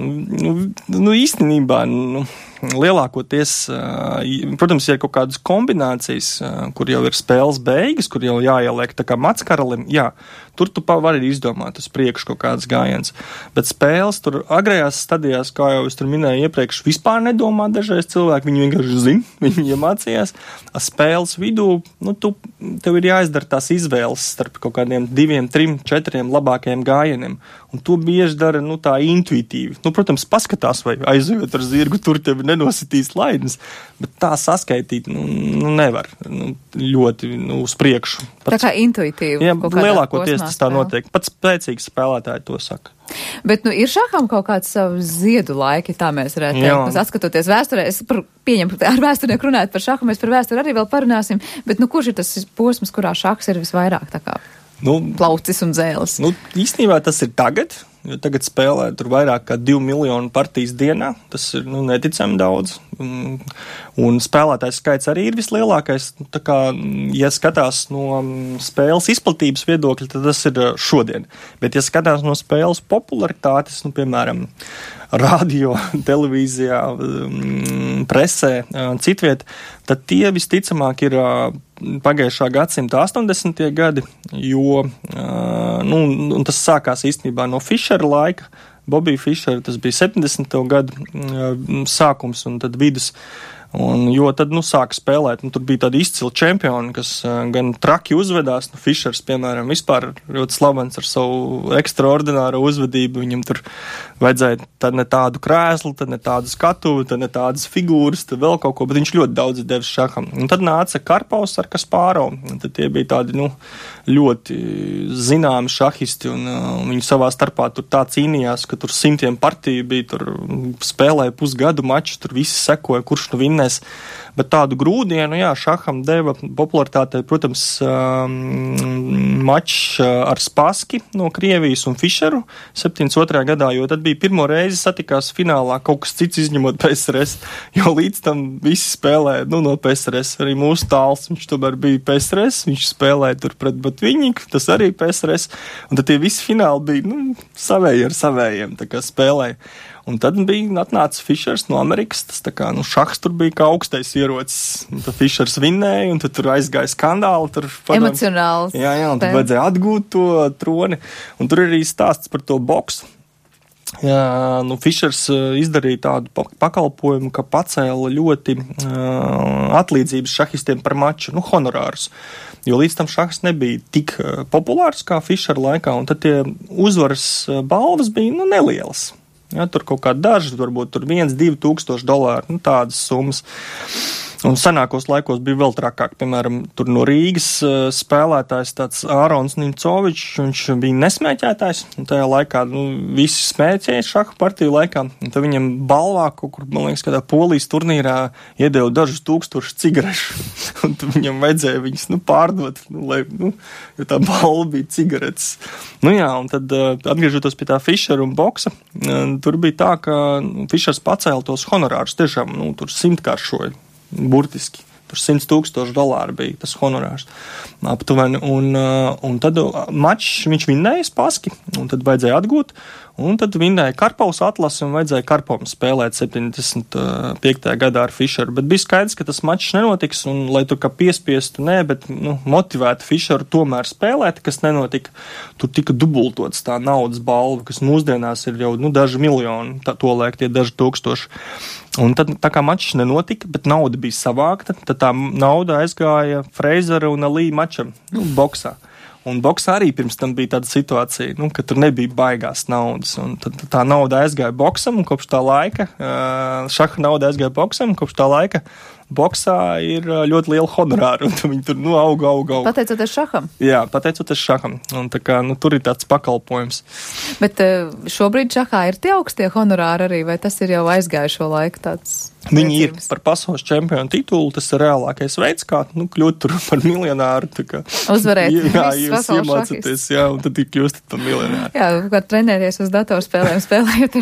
Īstenībā, lielākoties, protams, ir kaut kādas kombinācijas, kur jau ir spēles beigas, kur jau jāieliek tā kā mackaralim, jā, tur tu vari izdomāt uz priekšu kaut kādas gājienas. Bet spēles tur agrējās stadijās, kā jau es tur minēju iepriekš, vispār nedomā dažreiz cilvēki, viņi vienkārši zina, viņi iemācījās. Spēles vidū, tev ir jāizdara tās izvēles starp kaut kādiem 2, 3, 4 labākajiem gājieniem. Un to bieži dara, tā intuitīvi. Protams, paskatās, vai aizjūt ar zirgu, tur tevi nenositīs laidnes, bet tā saskaitīt, nevar ļoti, uz priekšu. Tā kā intuitīvi. Jā, lielākoties tas tā notiek. Pats spēcīgs spēlētāji to saka. Bet, ir šaham kaut kāds savu ziedu laiki, tā mēs varētu teikt. Atskatoties vēsturē, es pieņemu, ar vēsturnieku runājot par šahu, mēs par vēsturi arī vēl parunāsim, bet, kurš ir tas posms, kurā šahs ir visvairāk tā kā plaucis un dzēles. Īstenībā tas ir tagad, jo tagad spēlē tur vairāk kā 2 miljonu partijas dienā. Tas ir neticami daudz. Un spēlētājs skaits arī ir vislielākais. Tā kā, ja skatās no spēles izplatības viedokļa, tad tas ir šodien. Bet, ja skatās no spēles popularitātes, piemēram, radio, televīzijā, presē, citviet, tad tie visticamāk ir pagājušā gadsimta 80. gadi, jo tas sākās īstenībā no Fišera laika. Bobija Fišera, tas bija 70. gadu sākums un tad vidus. Jo tad, sāka spēlēt, tur bija tādi izcili čempioni, kas gan traki uzvedās, Fišers, piemēram, vispār ļoti slavens ar savu ekstraordināro uzvedību, viņam tur vajadzēja tad ne tādu krēslu, tad ne tādu skatuvi, tad ne tādas figūras, tad vēl kaut ko, bet viņš ļoti daudz devis šaham. Un tad nāca Karpovs ar Kaspārovu, un tad tie bija tādi, ļoti zināmi šahisti, un viņi savā starpā tur tā cīnījās, ka tur 100 partiju bija, tur spēlēja pusgadu maču, tur visi sekoja, kurš vinnēs. Bet tādu grūdienu, šaham deva popularitātei, protams, mačs ar Spaski no Krievijas un Fišeru 72. gadā, jo tad bija pirmo reizi satikās finālā kaut kas cits izņemot PSRS, jo līdz tam visi spēlēja, no PSRS, arī mūsu tāls, viņš tomēr bija PSRS, viņš spēlēja tur pret Batviņiku, tas arī PSRS, un tad tie visi fināli bija, savēji ar savējiem, tā kā spēlēja. Un tad atnāca Fišers no Amerikas, tas tā kā, šahs tur bija kā augstais ierocis. Tad Fišers vinnēja, un tad tur aizgāja skandāli. Emocionāls. Jā, un tad vajadzēja atgūt to troni. Un tur arī stāsts par to boksu. Jā, Fišers izdarīja tādu pakalpojumu, ka pacēla ļoti atlīdzības šahistiem par maču, honorārus. Jo līdz tam šahs nebija tik populārs kā Fišera laikā, un tad tie uzvaras balvas bija, nelielas. Ja, tur kaut kā daži, varbūt tur $1,000–2,000, tādas summas. Un senākos laikos bija vēl trakāk, piemēram, tur no Rīgas spēlētājs tāds Ārons Nimcovičs, viņš bija nesmēķētājs, un tajā laikā, visi smēķēja šahu partiju laikā, un tad viņam balvā kaut kur, man liekas, kādā Polijas turnīrā iedeva dažus tūkstošus cigarešu, un tad viņam vajadzēja viņas, pārdot, jo tā balva bija cigaretes. Un tad, atgriežoties pie tā Fišera un boksa, tur bija tā, ka Fišers pacēla tos honorārus, tiešām, tur 100-kāršoja. Burtiski. Tur $100,000 bija tas honorārs aptuveni. Un tad mačs viņš vinnēja Spaski, un tad vajadzēja atgūt, un tad vinnēja Karpovs atlasi, un vajadzēja Karpovam spēlēt 75. gadā ar Fišeru. Bet bija skaidrs, ka tas mačs nenotiks, un lai tur kā piespiestu, bet motivētu Fišeru tomēr spēlēt, kas nenotika, tur tika dubultots tā naudas balva, kas mūsdienās ir jau daži miljoni, to liek tie daži tūkstoši. Un tad tā kā mačs nenotika, bet nauda bija savākta, tad tā nauda aizgāja Freizera un Alī mačam, boksā. Un boksā arī pirms tam bija tāda situācija, ka tur nebija baigās naudas. Un tad tā nauda aizgāja boksam, un kopš tā laika, šaha nauda aizgāja boksam, un kopš tā laika boksā ir ļoti liela honorāra, un viņi tur auga. Pateicoties šaham? Jā, pateicoties šaham. Un tā kā, tur ir tāds pakalpojums. Bet šobrīd šahā ir tie augstie honorāri arī, vai tas ir jau aizgājušo laiku tāds? Viņi ir par pasaules čempionu titulu, tas ir reālākais veids, kā kļūt tur par miljonāru. Uzvarēt jūs iemācāties, un tad kļūstat par miljonāru. Jā, kā trenēties uz datorspēlēm, spēlējot,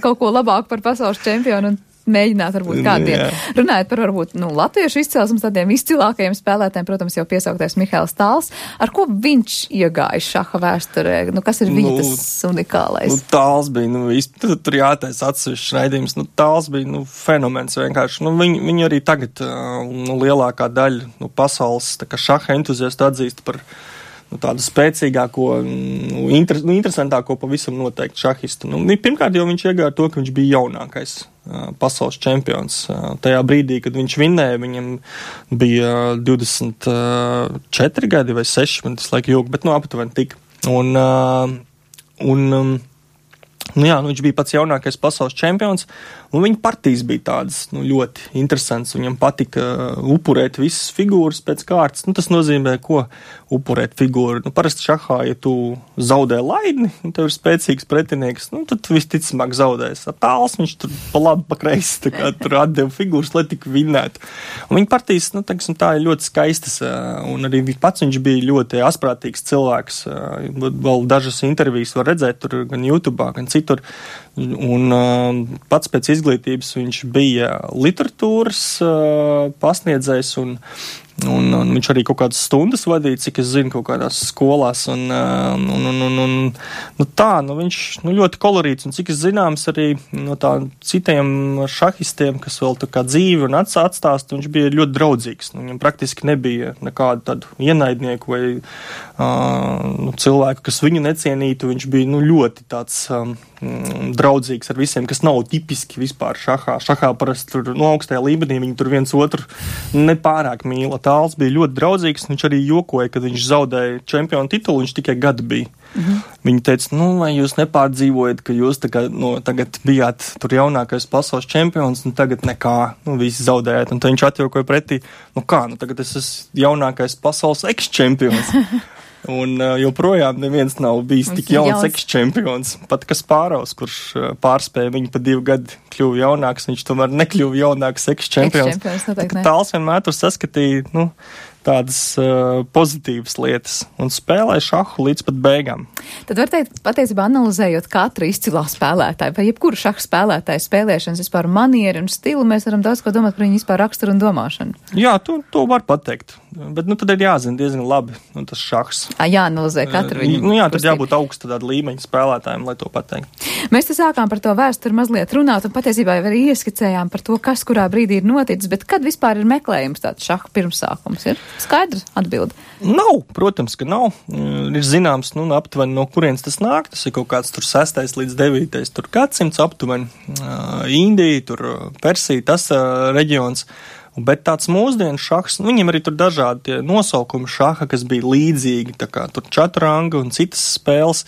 kaut ko labāku par pasaules čempionu un mēģināt varbūt kādiem. Runājot par varbūt latviešu izcelsmes tādiem izcilākajiem spēlētājiem, protams, jau piesauktais Mihails Tāls. Ar ko viņš iegāja šaha vēsturē? Kas ir viņa tas unikālais? Tāls bija, tur jātaisa atsevišķs raidījums. Tāls bija fenomens vienkārši. Viņu arī tagad lielākā daļa pasaules šaha entuziastu atzīst par tādu spēcīgāko, interesantāko pavisam noteikti šahistu. Pirmkārt, jau viņš iegāja to, ka viņš bija jaunākais pasaules čempions. Tajā brīdī, kad viņš vinnēja, viņam bija 24 gadi vai 6, man tas laika jūg, bet aptuveni tik. Viņš bija pats jaunākais pasaules čempions, un viņa partijas bija tādas ļoti interesantas. Viņam patika upurēt visas figūras pēc kārtas. Tas nozīmē, ko upurēt figūru. Parasti šahā, ja tu zaudē laidni, un tev ir spēcīgs pretinieks, tad visticamāk zaudēs. Tāls viņš tur pa labi, pa kreisi, tur atdeva figūras, lai tik vinnētu. Un viņa partijas, tā ir ļoti skaistas, un arī pats viņš bija ļoti asprātīgs cilvēks. Vēl dažas intervijas var redzēt tur gan YouTube'ā, gan citur. Un pats pēc izglītības viņš bija literatūras pasniedzējs un viņš arī kaut kādas stundas vadīja, cik es zinu, kaut kādās skolās. Viņš ļoti kolorīts, un cik es zināms arī no tā citiem šahistiem, kas vēl tā kā dzīvi un atstāst, viņš bija ļoti draudzīgs. Viņam praktiski nebija nekādu tādu ienaidnieku vai cilvēku, kas viņu necienītu. Viņš bija ļoti tāds draudzīgs ar visiem, kas nav tipiski vispār šahā. Šahā parasti tur augstajā līmenī viņi tur viens otru nepārāk mīla. Tāls bija ļoti draudzīgs, viņš arī jokoja, kad viņš zaudēja čempionu titulu, viņš tikai gadu bija. Viņi teica, vai jūs nepārdzīvojat, ka jūs tagad bijāt tur jaunākais pasaules čempions, un tagad nekā, visi zaudējāt. Un tad viņš atjokoja pretī, tagad es esmu jaunākais pasaules eks-čempions. Un joprojām neviens nav bijis tik jauns eks-čempions. Pat Kasparovs, kurš pārspēja viņu pa 2 gadu, kļuva jaunāks, viņš tomēr nekļuva jaunāks eks-čempions. Tāls vienmēr tur saskatīja, tādas pozitīvas lietas un spēlēja šahu līdz pat beigām. Tad var teikt, patiesībā analizējot katru izcilā spēlētāju, vai jebkuru šahu spēlētāju spēlēšanas vispār manieri un stilu, mēs varam daudz ko domāt par viņu vispār raksturu un domāšanu. Jā, to var pateikt. Bet tad ir jāzina diezgan labi, tas šahs. Jāanalizē katru viņu. Tad jābūt augsta tāda līmeņa spēlētājiem, lai to pateikt. Mēs te sākām par to vēsturi mazliet runāt, un patiesībā arī ieskicējām par to, kas kurā brīdī ir noticis, bet kad vispār ir meklējums tāds šahu pirmsākums? Ir skaidrs atbildi? Nav, protams, ka nav. Ir zināms, aptuveni no kurienes tas nāk. Tas ir kaut kāds tur 6. līdz 9. gadsimts aptuveni. Indija, tur Persija, tas reģions. Bet tāds mūsdienu šahs, viņiem arī tur dažādi nosaukumi šaha, kas bija līdzīgi, tā kā tur čatranga un citas spēles.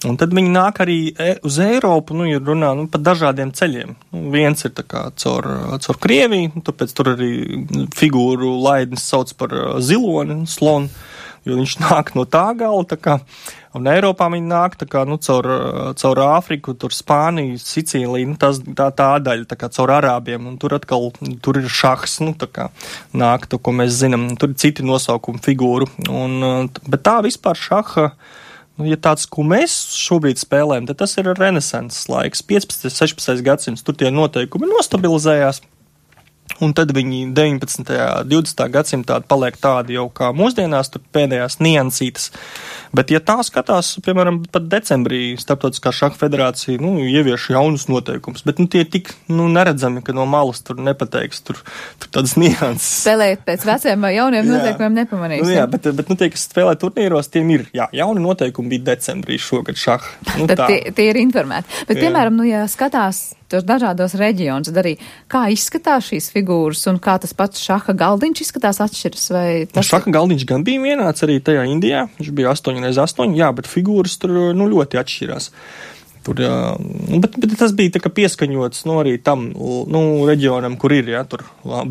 Un tad viņi nāk arī uz Eiropu, ja runā pa dažādiem ceļiem. Viens ir tā kā caur Krieviju, tāpēc tur arī figūru laidnis sauc par ziloni, slonu, jo viņš nāk no tā gala, tā kā. Un Eiropā viņi nāk tā kā, caur Āfriku, tur Spāniju, Sicīliju, tā daļa, tā kā caur Arābiem, un tur atkal, tur ir šahs, tā kā nāk to, ko mēs zinām, tur ir citi nosaukumi figūru, bet tā vispār šaha, ja tāds, ko mēs šobrīd spēlējam, tad tas ir renesanses laiks, 15. 16. gadsimts, tur tie noteikumi nostabilizējās. Un tad viņi 19. 20. gadsimtā paliek tādi jau kā mūsdienās, tur pēdējās niansītas. Bet, ja tā skatās, piemēram, pat decembrī Starptautiskā šaha federācija, ievieš jaunus noteikumus, bet, tie tik, neredzami, ka no malas tur nepateiks, tur tādas nianses. Spēlēt pēc veciem vai jauniem noteikumiem nepamanīs. Jā, bet tie, kas spēlē turnīros, tiem ir, jauni noteikumi bija decembrī šogad šaha. Tad tie ir informēti. Bet, piemēram, ja skatās tos dažādos reģionus, arī kā izskatās šīs figūras un kā tas pats šaha galdiņš izskatās atšķiras? Šaha galdiņš gan bija vienāds arī tajā Indijā, viņš bija 8x8, bet figūras tur ļoti atšķirās. Tur, bet tas bija tā kā pieskaņots arī tam reģionam, kur ir, tur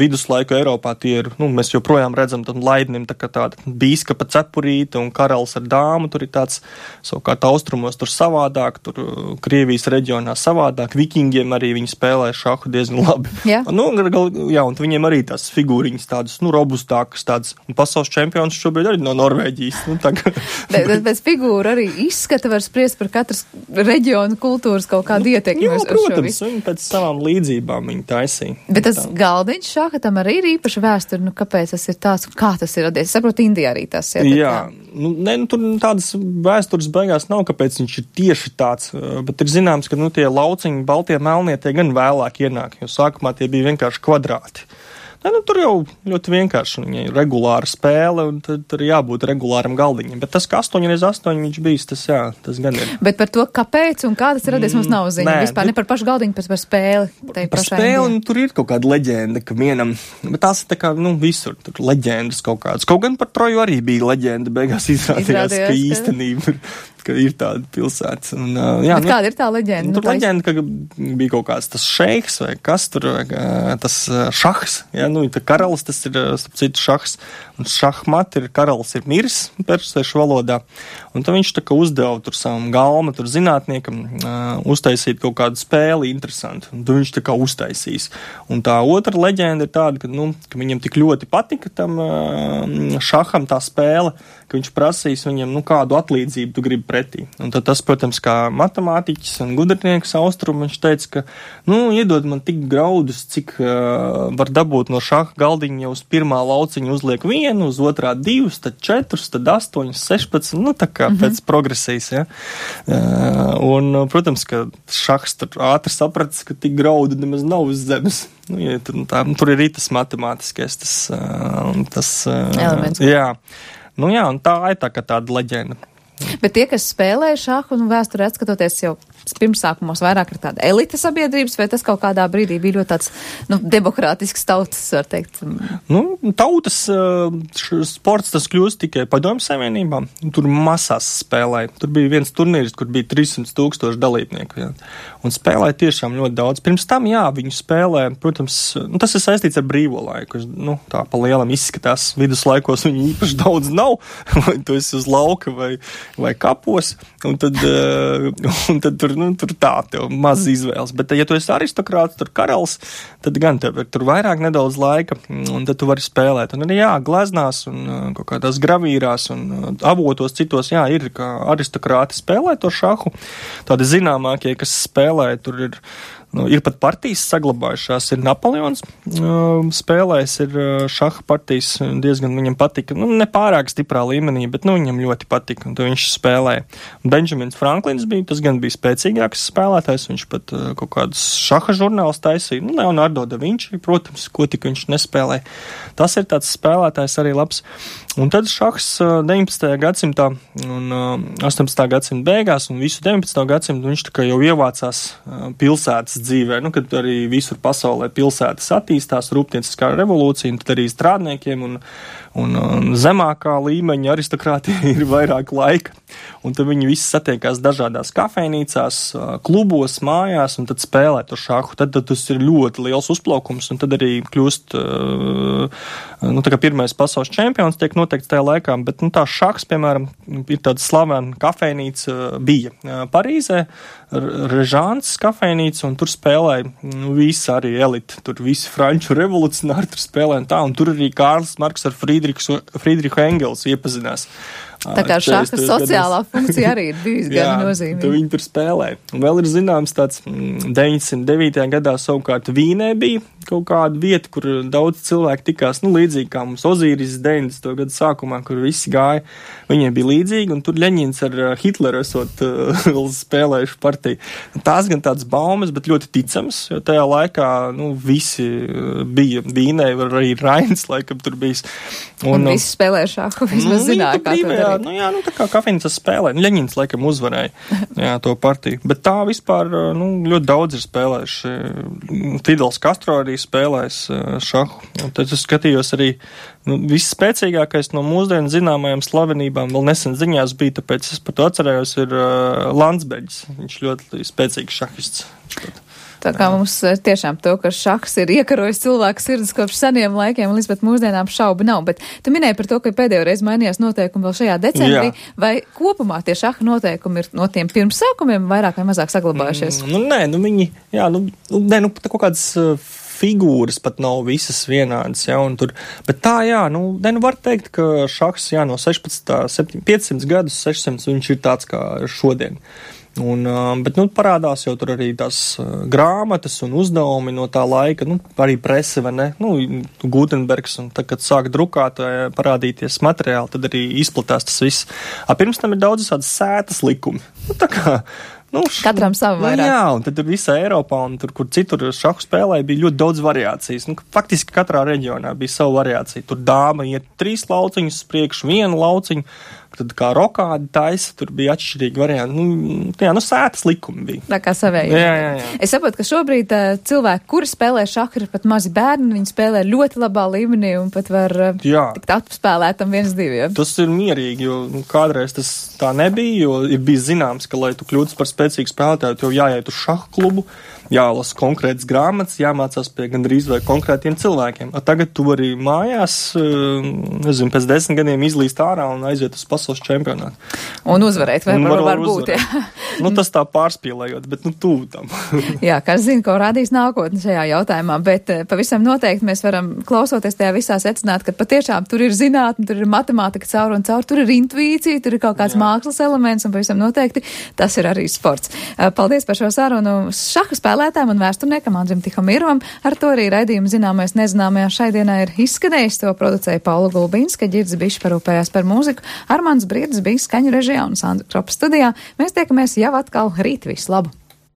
viduslaiku Eiropā tie ir, mēs joprojām redzam tam laidnim tā kā tāda bīskapa cepurīte un karalis ar dāmu, tur ir tāds, savukārt austrumos tur savādāk, tur Krievijas reģionā savādāk, vikingiem arī viņi spēlē šahu diezgan labi. Jā. Un viņiem arī tās figūriņas tādas, robustākas tādas, un pasaules čempions šobrīd arī no Norvēģijas. Bet figūra arī izskata var spriest par katras reģionu un kultūras kaut kādu ietekmi uz šo visu. Protams, viņi pēc savām līdzībām viņi taisīja. Bet tas galdiņš šaha tam arī ir īpaša vēsture, kāpēc tas ir tāds, kā tas ir radies? Saprotu, Indijā arī tas ir. Jā, tur tādas vēstures beigās nav, kāpēc viņš ir tieši tāds, bet ir zināms, ka tie lauciņi, baltie melnie, tie gan vēlāk ienāk, jo sākumā tie bija vienkārši kvadrāti. Tur jau ļoti vienkārši, viņai ir regulāra spēle, un tur jābūt regulāram galdiņam. Bet tas, ka 8x8 viņš bijis, tas gan ir. Bet par to, kāpēc un kā tas ir radies, mums nav ziņa. Vispār ne par pašu galdiņu, bet par spēli. Par spēli, tur ir kaut kāda leģenda, ka vienam, bet tās ir tā kā, visur, tur leģendas kaut kādas. Kaut gan par Troju arī bija leģenda, beigās izrādījās, ka īstenība ir ka ir tāda pilsēta. Un, bet kāda ir tā leģenda? Tur leģenda, ka bija kaut kāds tas šeiks vai kas tur, tas šahs, tā karalis, tas ir, starp citu, šahs, un šahmat ir karalis ir miris persiešu valodā, un tad viņš tā kā uzdeva tur savam galma, tur zinātniekam, uztaisīt kaut kādu spēli interesantu, un tad viņš tā kā uztaisīs. Un tā otra leģenda ir tāda, ka viņam tik ļoti patika tam šaham tā spēle, ka viņš prasīs viņam, kādu atlīdzību tu gribi pretī. Un tad tas, protams, kā matemātiķis un gudrinieks austrumu, viņš teica, ka, iedod man tik graudus, cik var dabūt no šaha galdiņa, ja uz pirmā lauciņa uzliek 1, uz otrā 2, tad 4, tad 8, 16, tā kā pēc progresijas, ja. Un, protams, ka šahs tur ātri sapratis, ka tik graudu nemaz nav uz zemes. Tur ir tas matemātiskais, tas elements. Jā. Un tā ir tāda leģenda. Bet tie, kas spēlē šahu un vēsturi atskatoties jau pirmsākumos vairāk ir tāda elita sabiedrības, vai tas kaut kādā brīdī bija ļoti tāds, demokrātisks tautas, var teikt? Tautas sports tas kļūst tikai Padomju Savienībā. Tur masās spēlēja. Tur bija viens turnīrs, kur bija 300,000 dalībnieku. Jā. Un spēlēja tiešām ļoti daudz. Pirms tam, viņi spēlē, protams, tas ir saistīts ar brīvo laiku. Tā pa lielam izskatās. Viduslaikos viņi īpaši daudz nav. Vai tu esi uz lauka vai kapos. Un tad tur tā, tev maz izvēles. Bet, ja tu esi aristokrāts, tur karalis, tad gan tev ir tur vairāk nedaudz laika, un tad tu vari spēlēt. Un arī, gleznās un kaut kādās gravīrās un avotos citos, ir, ka aristokrāti spēlē to šahu. Tādi zināmākie, kas spēlē, tur ir pat partijas saglabājušās. Ir Napoleons spēlējis, ir šaha partijas, diezgan viņam patika. Nepārāk stiprā līmenī, bet viņam ļoti patika, un to viņš spēlēja. Benjamins Franklins bija, tas gan bija spēcīgāks spēlētājs, viņš pat kaut kādus šaha žurnālus taisīja. Leonardo da Vinci, protams, ko tik viņš nespēlēja. Tas ir tāds spēlētājs arī labs. Un tad šahs 19. gadsimtā un 18. gadsimta beigās un visu 19. gadsimtu viņš tā kā jau ievācās pilsētas dzīvē, kad arī visur pasaulē pilsētas attīstās, rūpnieciskā revolūcija, un tad arī strādniekiem un zemākā līmeņa aristokrātija ir vairāk laika. Un tad viņi visi satiekās dažādās kafejnīcās, klubos, mājās, un tad spēlē to šahu. Tad tas ir ļoti liels uzplaukums, un tad arī kļūst, tā kā pirmais pasaules čempions tiek noteikts tajā laikā, bet tā šahs, piemēram, ir tāda slavena kafejnīca bija Parīzē, Režāns kafejnīca, un tur spēlēja visi arī elite, tur visi franču revolucionāri tur spēlēja, un tur arī Kārlis Marks ar Friedrichu Engels iepazinās. Tā kā šaha sociālā funkcija arī ir bijusi gan nozīmīga. Viņi tur spēlēja. Un vēl ir zināms tāds 909. gadā savukārt Vīnē bija kaut kāda vieta, kur daudz cilvēku tikās, līdzīgi kā mums Ozīris 90. gadu sākumā, kur visi gāja, viņiem bija līdzīgi, un tur Ļeņins ar Hitleru esot vēl spēlējuši partiju. Tās gan tāds baumas, bet ļoti ticams, jo tajā laikā, visi bija Vīnē, arī Rains laikam tur bijis. Un visi spēlēja šahu, vismaz zināja, kā to darīt. Tā kā kafejnīcas spēlē. Ļeņins laikam uzvarēja to partiju. Bet tā vispār ļoti daudz ir spēlējuši. Fidels Castro arī spēlējis šahu. Un tad es skatījos arī viss spēcīgākais no mūsdienu zināmajām slavenībām. Vēl nesen ziņās bija, tāpēc es par to atcerējos, ir Landsbeģis. Viņš ļoti spēcīgs šahists. Tā kā mums tiešām to, ka šahs ir iekarojis cilvēku sirdis kopš seniem laikiem, līdz pat mūsdienām šaubu nav. Bet tu minēji par to, ka pēdējo reizi mainījās noteikumi vēl šajā decembrī. Jā. Vai kopumā tie šaha noteikumi ir no tiem pirmsākumiem vairāk vai mazāk saglabājušies? Viņi, tā kaut kādas figūras pat nav visas vienādas, bet tā, var teikt, ka šahs, no 500 gadus, 600, viņš ir tāds kā šodien. Bet parādās jau tur arī tās grāmatas un uzdevumi no tā laika, arī prese, vai ne, Gutenbergs, un tad, kad sāk drukāt, parādīties materiāli, tad arī izplatās tas viss. Pirms tam ir daudz tādas sētas likumi. Tā kā katram savu vairāk. Jā, un tad visā Eiropā un tur, kur citur šahu spēlēja, bija ļoti daudz variācijas. Faktiski katrā reģionā bija savu variāciju. Tur dāma iet 3 lauciņus priekš, 1 lauciņu. tad kā rokādi taisa, tur bija atšķirīgi varianti. Sētas likumi bija. Tā kā savēji. Jā. Es saprotu, ka šobrīd cilvēki, kuri spēlē šahu, ir pat mazi bērni, viņi spēlē ļoti labā līmenī un pat var tikt atspēlētam 1-2. Tas ir mierīgi, jo kādreiz tas tā nebija, jo ir bijis zināms, ka, lai tu kļūtu par spēcīgu spēlētāju, tev jāiet uz šahu klubu, jālasa konkrētas grāmatas, jāmācās pie gandrīz vai konkrētiem cilvēkiem. Tagad tu vari mājās, pēc 10 gadiem izlīst ārā un aiziet uz pasaules čempionātu. Un uzvarēt, vai var būt, jā. Tas tā pārspīlējot, bet tuvu tam. Jā, kas zina, ko rādīs nākotne šajā jautājumā, bet pavisam noteikti mēs varam klausoties tajā visā secināt, ka patiešām tur ir zinātne, tur ir matemātika caur un caur, tur ir intuīcija, tur ir kaut kāds mākslas elements un pavisam noteikti tas ir arī sports. Paldies par šo sarunu šaha spēlētājiem un vēsturniekam Andrim Tihomirovam. Ar to arī raidījumu zināmais nezināmajā šai dienā ir izskanējis. To producēja Paula Gulbinska, Ģirds Bišs parūpējās par mūziku, Armands Briedis bija skaņu režijā un Sandra Kropa studijā. Mēs tiekamies jau atkal rīt. Visu labu!